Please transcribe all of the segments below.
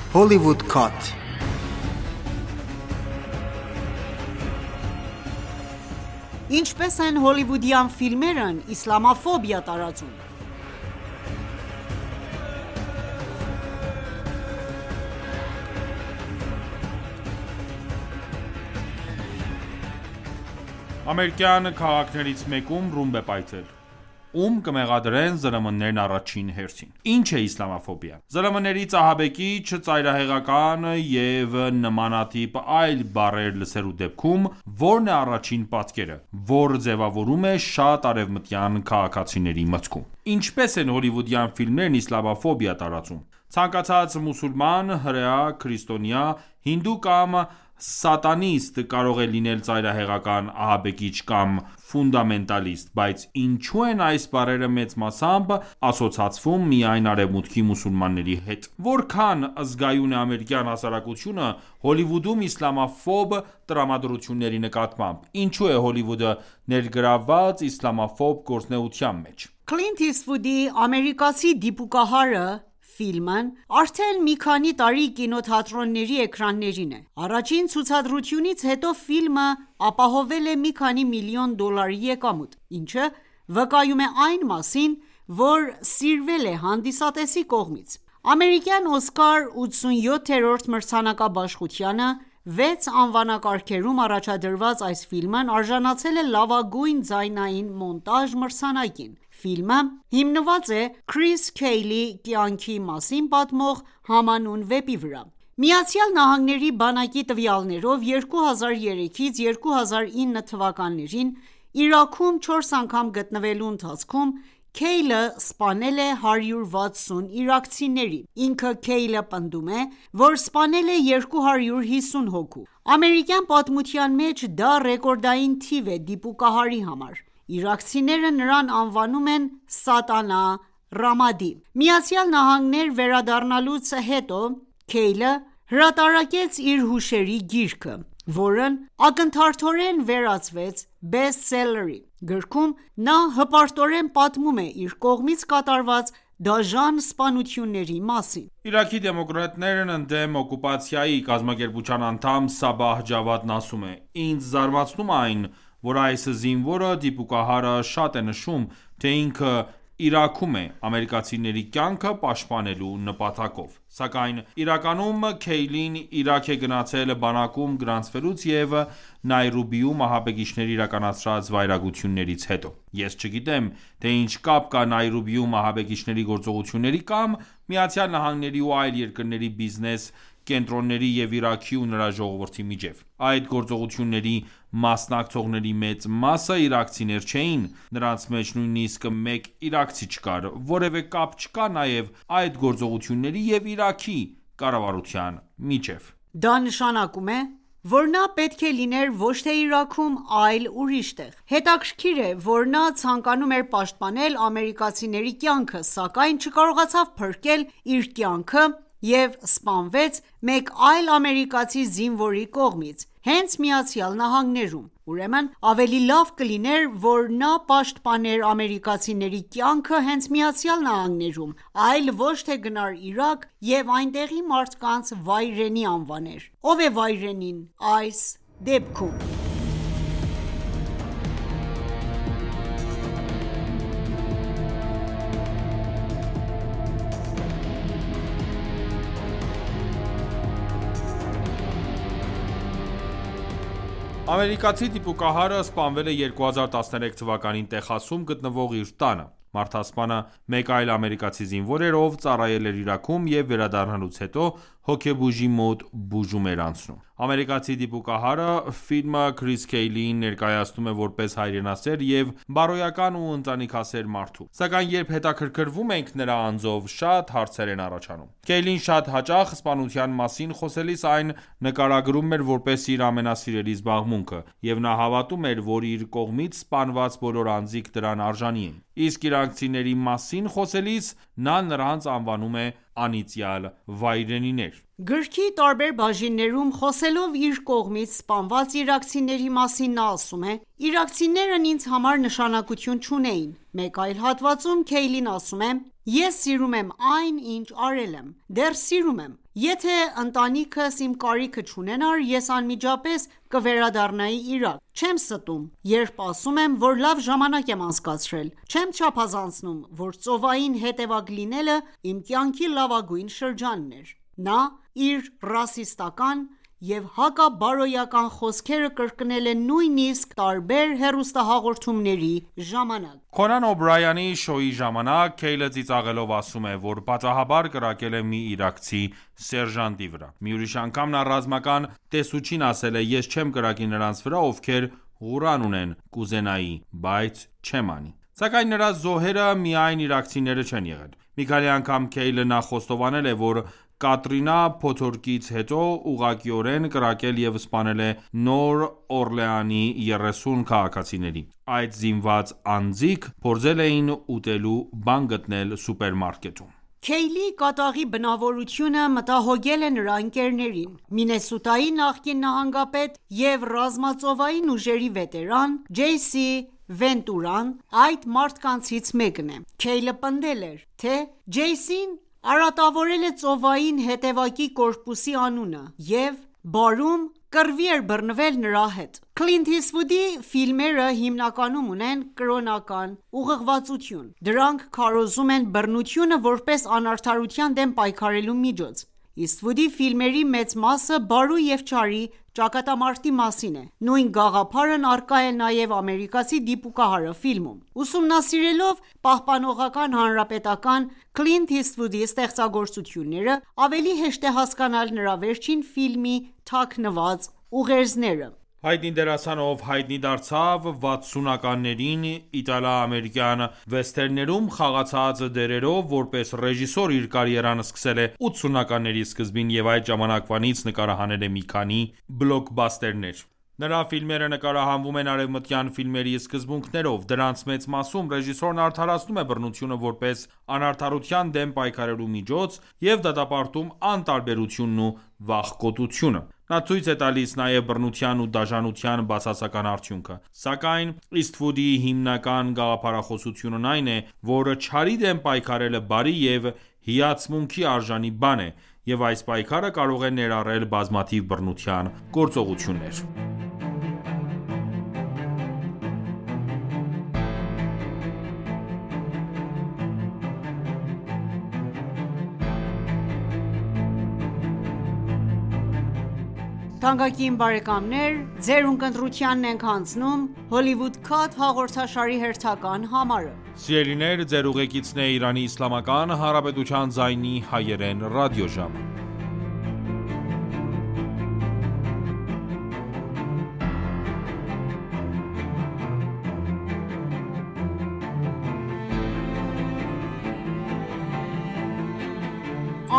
Hollywood Cut. Ինչպես են հոլիվուդյան ֆիլմերն իսլամաֆոբիա տարածում։ Ամերիկյան քաղաքներից մեկում ռումբ է պայթել, ում կմեղադրեն ԶԼՄ-ներն առաջին հերթին։ Ինչ է իսլամաֆոբիա։ ԶԼՄ-ներից ահաբեկիչ, ծայրահեղական և նմանատիպ այլ բառեր լսելու դեպքում ո՞րն է առաջին պատկերը, որ ձևավորում է շատ արևմտյան քաղաքացիների մտքում։ Ինչպես են հոլիվուդյան ֆիլմերն իսլամաֆոբիա տարածում։ Ցանկացած մուսուլման, հրեա, քրիստոնյա, հինդու կամ սատանիստ կարող է լինել ծայրահեղական, ահաբեկիչ կամ ֆունդամենտալիստ, բայց ինչու են այս բառերը մեծ մասամբ ասոցացվում միայն Արևմուտքի մուսուլմանների հետ։ Որքան զգայուն է ամերիկյան հասարակությունը Հոլիվուդում իսլամաֆոբ տրամադրությունների նկատմամբ։ Ինչու է Հոլիվուդը ներգրավված իսլամաֆոբ գործունեության մեջ։ Քլինթ Իսթվուդի «Ամերիկացի դիպուկահարը» ֆիլմն արդեն մի քանի տարի կինոթատրոնների էկրաններին է։ Առաջին ցուցադրությունից հետո ֆիլմը ապահովել է մի քանի միլիոն դոլարի եկամուտ, ինչը վկայում է այն մասին, որ սիրվել է հանդիսատեսի կողմից։ Ամերիկյան Օսկար 87-րդ մրցանակաբաշխությանը 6 անվանակարգերում առաջադրված այս ֆիլմն արժանացել է լավագույն ձայնային մոնտաժ մրցանակին։ Ֆիլմը հիմնված է Քրիս Քեյլի կյանքի մասին պատմող համանուն վեպի վրա։ ԱՄՆ բանակի տվյալներով 2003-ից 2009 թվականներին Իրաքում 4 անգամ գտնվելու ընթացքում Քեյլը սպանել է 160 իրաքցիների։ Ինքը Քեյլը պնդում է, որ սպանել է 250 հոգու։ Ամերիկյան պատմության մեջ դա ռեկորդային թիվ է դիպուկահարի համար։ Իրաքցիները նրան անվանում են Սատանա Ռամադի։ ԱՄՆ վերադառնալուց հետո Քեյլը հրատարակեց իր հուշերի գիրքը, որն ակնթարթորեն վերածվեց բեսթսելլերի։ Գրքում նա հպարտորեն պատմում է իր կողմից կատարված դաժան սպանությունների մասին։ Իրաքի դեմոկրատներն ընդդեմ օկուպացիայի կազմակերպության անդամ Սաբահ Ջավադն ասում է. «Ինձ զարմացնում է այն, որ այս զինվորը դիպուկահարը շատ է նշում, թե ինքը Իրաքում է ամերիկացիների կյանքը պաշտպանելու նպատակով։ Սակայն իրականում Քեյլին Իրաք է գնացել բանակում գրանցվելուց և Նայրոբիում ահաբեկիչների իրականացրած վայրագություններից հետո։ Ես չգիտեմ, թե ինչ կապ կա Նայրոբիում ահաբեկիչների գործողությունների կամ ԱՄՆ-ի ու այլ երկրների բիզնես կենտրոնների և Իրաքի ու նրա ժողովրդի միջև։ Այդ գործողությունների մասնակցողների մեծ մասը իրաքցիներ չէին, նրանց մեջ նույնիսկ մեկ իրաքցի չկար, որևէ կապ չկա նաև այդ գործողությունների և Իրաքի կառավարության միջև»։ Դա նշանակում է, որ նա պետք է լիներ ոչ թե Իրաքում, այլ ուրիշ տեղ։ Հետաքրքիր է, որ նա ցանկանում էր պաշտպանել ամերիկացիների կյանքը, սակայն չկարողացավ փրկել իր կյանքը և սպանվեց մեկ այլ ամերիկացի զինվորի կողմից, հենց ԱՄՆ-ում։ Ուրեմն ավելի լավ կլիներ, որ նա պաշտպաներ ամերիկացիների կյանքը հենց ԱՄՆ-ում, այլ ոչ թե գնար Իրաք և այնտեղի մարդկանց վայրենի անվաներ։ Ո՞վ է վայրենին այս դեպքում։ Ամերիկացի դիպուկահարը սպանվել է 2013 թվականին Տեխասում գտնվող իր տանը։ Մարդասպանը մեկ այլ ամերիկացի զինվոր էր, ով ծառայել էր Իրաքում և վերադառնալուց հետո հոգեբուժի մոտ բուժում էր անցնում։ Ամերիկացի դիպուկահարը ֆիլմը Քրիս Քեյլիին ներկայացնում է որպես հայրենասեր և բարոյական ու ընտանիքասեր մարդու։ Սակայն երբ հետաքրքրվում ենք նրա անձով, շատ հարցեր են առաջանում։ Քեյլին շատ հաճախ սպանության մասին խոսելիս այն նկարագրում էր որպես իր ամենասիրելի զբաղմունքը, և նա հավատում էր, որ իր կողմից սպանված բոլոր անձիկ դրան արժանի են։ Իսկ իրաքցիների մասին խոսելիս նա նրանց անվանում է անիծյալ վայրենիներ։ Գրքի տարբեր բաժիններում խոսելով իր կողմից սպանված իրաքցիների մասին նա ասում է. «Իրաքցիներն ինձ համար նշանակություն չունեին»։ Մեկ այլ հատվածում Քեյլին ասում է. «Ես սիրում եմ այն, ինչ արել եմ, դեռ սիրում եմ։ Եթե ընտանիքս իմ կարիքը չունենար, ես անմիջապես կվերադառնայի Իրաք: Չեմ ստում, երբ ասում եմ, որ լավ ժամանակ եմ անցկացրել: Չեմ չափազանցնում, որ ծովային հետևակ լինելը իմ կյանքի լավագույն շրջանն էր: Նա իր ռասիստական և հակաբարոյական խոսքերը կրկնել է նույնիսկ տարբեր հեռուստահաղորդումների ժամանակ: Քոնան Օբրայանի շոուի ժամանակ Քեյլը ծիծաղելով ասում է, որ պատահաբար կրակել է մի իրաքցի սերժանտի վրա: Մի ուրիշ անգամ նա ռազմական տեսուչին ասել է. «Ես չեմ կրակի նրանց վրա, ովքեր Ղուրան ունեն, կուզենայի, բայց չեմ անի»: Սակայն նրա զոհերը միայն իրաքցիները չեն եղել: Մի քանի անգամ Քեյլը նախ խոստովանել է, որ Կատրինա փոթորկից հետո ուղղակիորեն կրակել և սպանել է Նոր Օրլեանի 30 քաղաքացիների: Այդ զինված անձինք փորձել էին ուտելու բան գտնել սուպերմարկետում: Քեյլի կատաղի բնավորությունը մտահոգել է նրա ընկերներին: Մինեսոտայի նախկին նահանգապետ և ռազմածովային ուժերի վետերան Ջեյսի Վենտուրան այդ մարդկանցից մեկն է: Քեյլը պնդել էր, թե Ջեյսին արատավորել է ծովային հետևակի կորպուսի անունը և բարում կռվի էր բռնվել նրա հետ: Քլինթ Իսթվուդի ֆիլմերը հիմնականում ունեն կրոնական ուղղվածություն: Դրանք քարոզում են բռնությունը որպես անարդարության դեմ պայքարելու միջոց: Իսթվուդի ֆիլմերի մեծ մասը բարու և չարի ճակատամարտի մասին է: Նույն գաղափարն առկա է նաև Ամերիկացի դիպուկահարը ֆիլմում: Ուսումնասիրելով Պահպանողական հանրապետական Քլինթ Իսթվուդի ստեղծագործությունները, ավելի հեշտ է հասկանալ նրա վերջին ֆիլմի թաքնված ուղերձները: Հայտնի դերասան, ով հայտնի դարձավ 60-ականներին իտալա-ամերիկյան վեսթերներում խաղացած դերերով, որպես ռեժիսոր իր կարիերան սկսել է 80-ականների սկզբին և այդ ժամանակվանից նկարահանել է մի քանի բլոքբասթերներ: Նրա ֆիլմերը նկարահանվում են արևմտյան ֆիլմերի սկզբունքներով: Դրանց մեծ մասում ռեժիսորն արդարացնում է բռնությունը որպես անարդարության դեմ պայքարելու միջոց և դատապարտում անտարբերությունն ու վախկոտությունը: Նա ցույց է տալիս նաև բռնության ու դաժանության բացասական արդյունքը: Սակայն Իսթվուդի հիմնական գաղափարախոսությունն այն է, որ չարի դեմ պայքարելը բարի և հիացմունքի արժանի բան է, և այս պայքարը կարող է ներառել բազմաթիվ բռնության գործողություններ: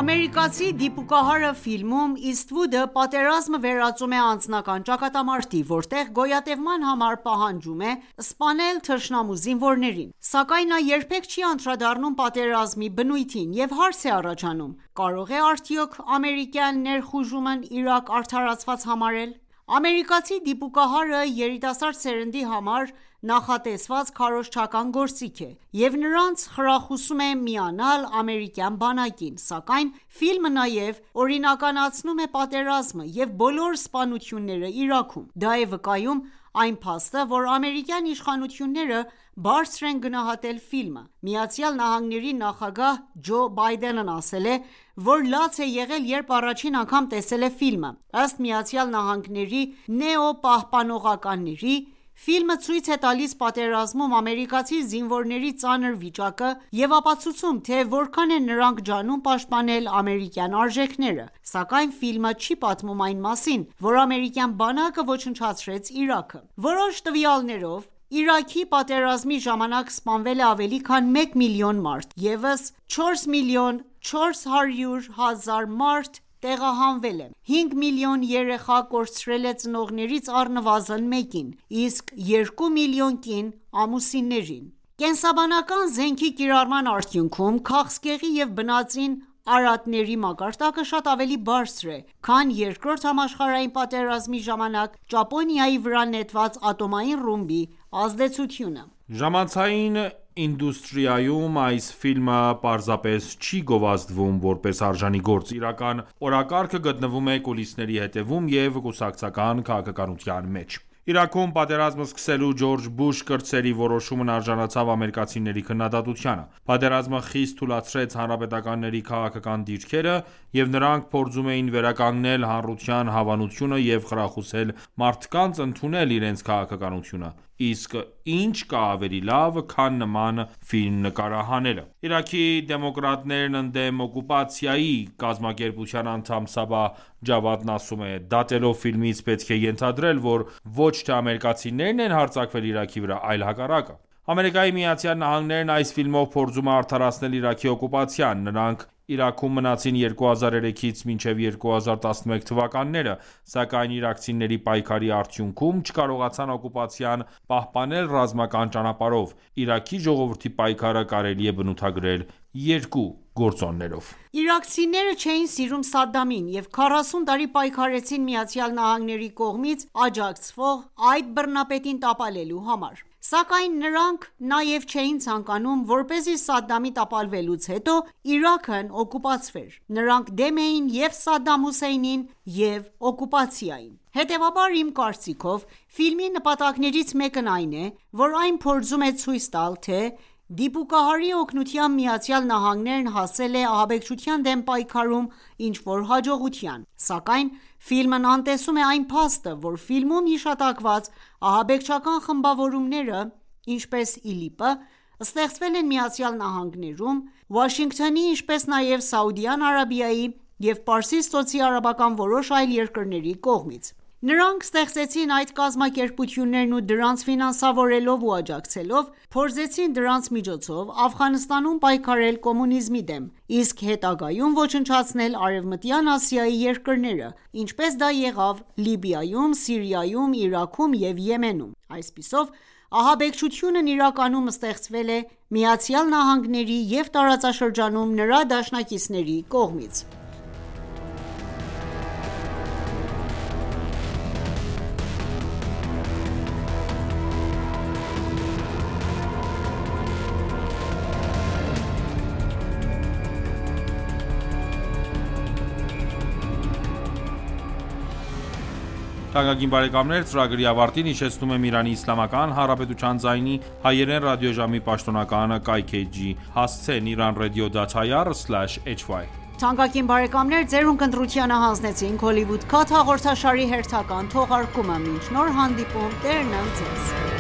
Ամերիկացի դիպուկահարը ֆիլմում Իսթվուդը պատերազմը վերածում է անձնական ճակատամարտի, որտեղ գոյատևման համար պահանջում է սպանել թշնամու զինվորներին: Սակայն նա երբեք չի անդրադառնում պատերազմի բնույթին և հարց է առաջանում. կարո՞ղ է արդյոք ամերիկյան ներխուժումն Իրաք արդարացված համարել: Ամերիկացի դիպուկահարը երիտասարդ սերնդի համար նախատեսված քարոզչական գործիք է և նրանց խրախուսում է միանալ ամերիկյան բանակին: Սակայն ֆիլմը նաև օրինականացնում է պատերազմը և բոլոր սպանությունները Իրաքում: Դա է վկայում այն փաստը, որ ամերիկյան իշխանությունները բարձր են գնահատել ֆիլմը: ԱՄՆ-ի նախագահ Ջո Բայդենն ասել է, որ լաց է եղել, երբ առաջին անգամ տեսել է ֆիլմը: Ըստ ԱՄՆ-ի նեոպահպանողականների, ֆիլմը ցույց է տալիս պատերազմում ամերիկացի զինվորների ծանր վիճակը և ապացուցում, թե որքան են նրանք ջանում պաշտպանել ամերիկյան արժեքները: Սակայն ֆիլմը չի պատմում այն մասին, որ ամերիկյան բանակը ոչնչացրեց Իրաքը: Որոշ տվյալներով, Իրաքի պատերազմի ժամանակ սպանվել է ավելի քան 1 միլիոն մարդ: ԵՒս 4 միլիոն 400 հազար մարդ տեղահանվել է: 5 միլիոն երեխա կորցրել է ծնողներից առնվազն մեկին, իսկ 2 միլիոն կին ամուսիններին: Կենսաբանական զենքի կիրառման արդյունքում քաղցկեղի և բնածին արատների մակարդակը շատ ավելի բարձր է, քան Երկրորդ համաշխարհային պատերազմի ժամանակ Ճապոնիայի վրա նետված ատոմային ռումբի ազդեցությունը: Ժամանցային Կինոինդուստրիայում այս ֆիլմը պարզապես չի գովազդվում որպես արժանի գործ, իրական օրակարգը գտնվում է կուլիսների հետևում և կուսակցական քաղաքականության մեջ։ Իրաքում պատերազմը սկսելու Ջորջ Բուշ կրտսերի որոշումն արժանացավ ամերիկացիների քննադատությանը։ Պատերազմը խիստ թուլացրեց հանրապետականների քաղաքական դիրքերը, և նրանք փորձում էին վերականգնել հանրության հավանությունը և խրախուսել մարդկանց ընդունել իրենց քաղաքականությունը։ Իսկ ի՞նչ կա ավելի լավ, քան նման ֆիլմ նկարահանելը։ Իրաքի դեմոկրատներն ընդդեմ օկուպացիայի կազմակերպության անդամ Սաբահ Ջավադն ասում է. «Դատելով ֆիլմից պետք է ենթադրել, որ ոչ թե ամերիկացիներն են հարձակվել Իրաքի վրա, այլ հակառակը»։ ԱՄՆ-ն այս ֆիլմով փորձում է արդարացնել Իրաքի օկուպացիան։ Նրանք Իրաքում մնացին 2003-ից մինչև 2011 թվականները, սակայն իրաքցիների պայքարի արդյունքում չկարողացան օկուպացիան պահպանել ռազմական ճանապարհով։ Իրաքի ժողովրդի պայքարը կարելի է բնութագրել երկու գործոններով։ Իրաքցիները չէին սիրում Սադդամին և 40 տարի պայքարեցին ԱՄՆ-ի կողմից աջակցվող այդ բռնապետին տապալելու համար։ Սակայն նրանք նաև չէին ցանկանում, որպեսզի Սադդամի տապալվելուց հետո Իրաքն օկուպացվեր։ Նրանք դեմ էին և Սադդամ Հուսեյնին, և օկուպացիային։ Հետևաբար, իմ կարծիքով, ֆիլմի նպատակներից մեկն այն է, որ այն փորձում է ցույց տալ, թե դիպուկահարի օգնությամբ ԱՄՆ-ն հասել է ահաբեկչության դեմ պայքարում ինչ-որ հաջողության։ Սակայն ֆիլմն անտեսում է այն փաստը, որ ֆիլմում հիշատակված ահաբեկչական խմբավորումները, ինչպես ԻԼԻՊ-ը, ստեղծվել են ԱՄՆ-ում, Վաշինգտոնի, ինչպես նաև Սաուդյան Արաբիայի և Պարսից ծոցի արաբական որոշ այլ երկրների կողմից։ Նրանք ստեղծեցին այդ կազմակերպություններն ու դրանց ֆինանսավորելով ու աջակցելով, փորձեցին դրանց միջոցով Աֆղանստանում պայքարել կոմունիզմի դեմ, իսկ հետագայում ոչնչացնել Արևմտյան Ասիայի երկրները, ինչպես դա եղավ Լիբիայում, Սիրիայում, Իրաքում և Եմենում։ Այսպիսով, ահաբեկչությունն իրականում ստեղծվել է ԱՄՆ-ի և տարածաշրջանում նրա դաշնակիցների կողմից։ Թանկագին բարեկամներ, ծրագրի ավարտին հիշեցնում եմ Իրանի Իսլամական Հանրապետության ձայնի հայերեն ռադիոժամի պաշտոնական կայքէջի հասցեն iranradio.ir/hy։ Թանկագին բարեկամներ, ձերուն կընտրությանը հանձնեցինք Հոլիվուդ Քաթ հաղորդաշարի հերթական թողարկումը։ Մինչ նոր հանդիպում, Տերն ընդ ձեզ։